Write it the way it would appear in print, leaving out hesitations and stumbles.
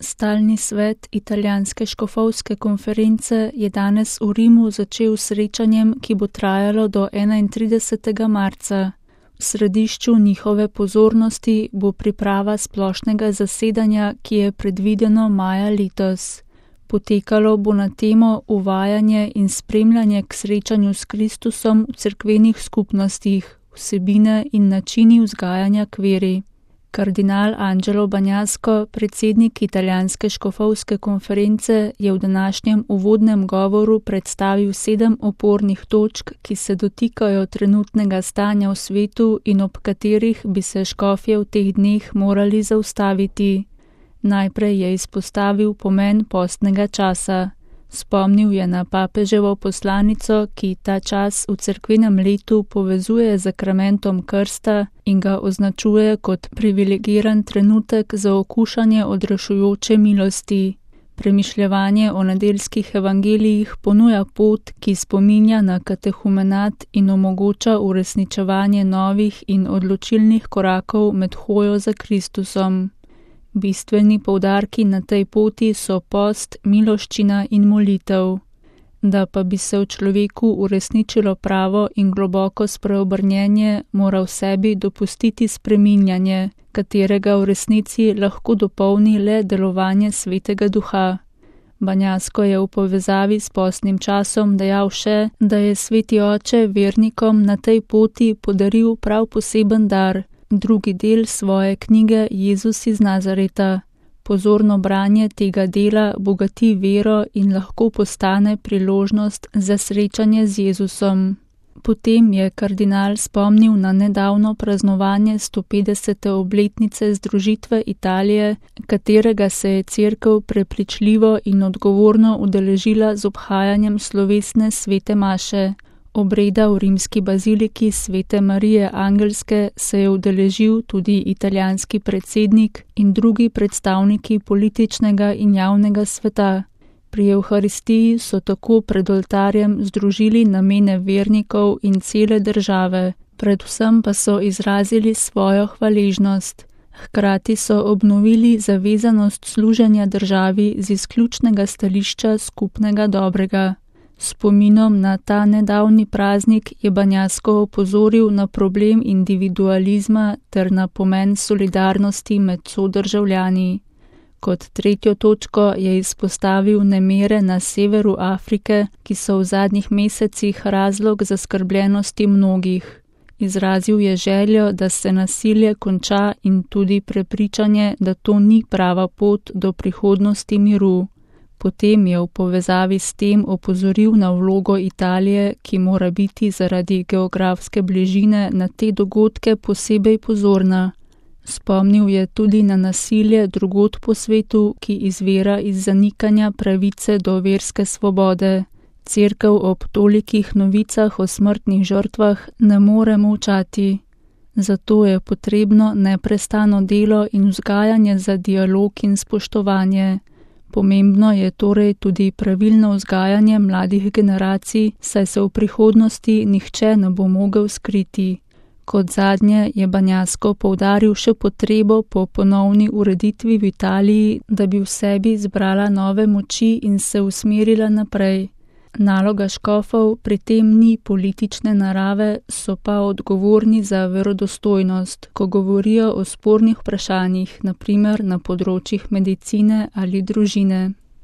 Stalni svet Italijanske škofovske konference je danes v Rimu začel s srečanjem, ki bo trajalo do 31. marca. V središču njihove pozornosti bo priprava splošnega zasedanja, ki je predvideno maja letos. Potekalo bo na temo uvajanje in spremljanje k srečanju s Kristusom v cerkvenih skupnostih, vsebine in načini vzgajanja k veri. Kardinal Angelo Bagnasco, predsednik Italijanske škofovske konference, je v današnjem uvodnem govoru predstavil 7 opornih točk, ki se dotikajo trenutnega stanja v svetu in ob katerih bi se škofje v teh dneh morali zaustaviti. Najprej je izpostavil pomen postnega časa. Spomnil je na papeževo poslanico, ki ta čas v cerkvenem letu povezuje z zakramentom krsta in ga označuje kot privilegiran trenutek za okušanje odrešujoče milosti. Premišljevanje o nedeljskih evangelijih ponuja pot, ki spominja na katehumenat in omogoča uresničevanje novih in odločilnih korakov med hojo za Kristusom. Bistveni poudarki na tej poti so post, miloščina in molitev. Da pa bi se v človeku uresničilo pravo in globoko spreobrnjenje, mora v sebi dopustiti spreminjanje, katerega v resnici lahko dopolni le delovanje Svetega Duha. Bagnasco je v povezavi s postnim časom dejal še, da je Sveti Oče vernikom na tej poti podaril prav poseben dar, drugi del svoje knjige Jezus iz Nazareta. Pozorno branje tega dela bogati vero in lahko postane priložnost za srečanje z Jezusom. Potem je kardinal spomnil na nedavno praznovanje 150. obletnice združitve Italije, katerega se je cerkev prepričljivo in odgovorno udeležila z obhajanjem slovesne svete maše. Obreda v rimski baziliki Svete Marije Angelske se je udeležil tudi italijanski predsednik in drugi predstavniki političnega in javnega sveta. Pri Evharistiji so tako pred oltarjem združili namene vernikov in cele države, predvsem pa so izrazili svojo hvaležnost. Hkrati so obnovili zavezanost služenja državi z izključnega stališča skupnega dobrega. Spominom na ta nedavni praznik je Bagnasco opozoril na problem individualizma ter na pomen solidarnosti med sodržavljani. Kot tretjo točko je izpostavil nemire na severu Afrike, ki so v zadnjih mesecih razlog zaskrbljenosti mnogih. Izrazil je željo, da se nasilje konča in tudi prepričanje, da to ni prava pot do prihodnosti miru. Potem je v povezavi s tem opozoril na vlogo Italije, ki mora biti zaradi geografske bližine na te dogodke posebej pozorna. Spomnil je tudi na nasilje drugod po svetu, ki izvira iz zanikanja pravice do verske svobode. Cerkev ob tolikih novicah o smrtnih žrtvah ne more molčati. Zato je potrebno neprestano delo in vzgajanje za dialog in spoštovanje. Pomembno je torej tudi pravilno vzgajanje mladih generacij, saj se v prihodnosti nihče ne bo mogel skriti. Kot zadnje je Bagnasco poudaril še potrebo po ponovni ureditvi v Italiji, da bi v sebi zbrala nove moči in se usmerila naprej. Naloga škofov pri tem ni politične narave, so pa odgovorni za verodostojnost, ko govorijo o spornih vprašanjih, na primer na področjih medicine ali družine.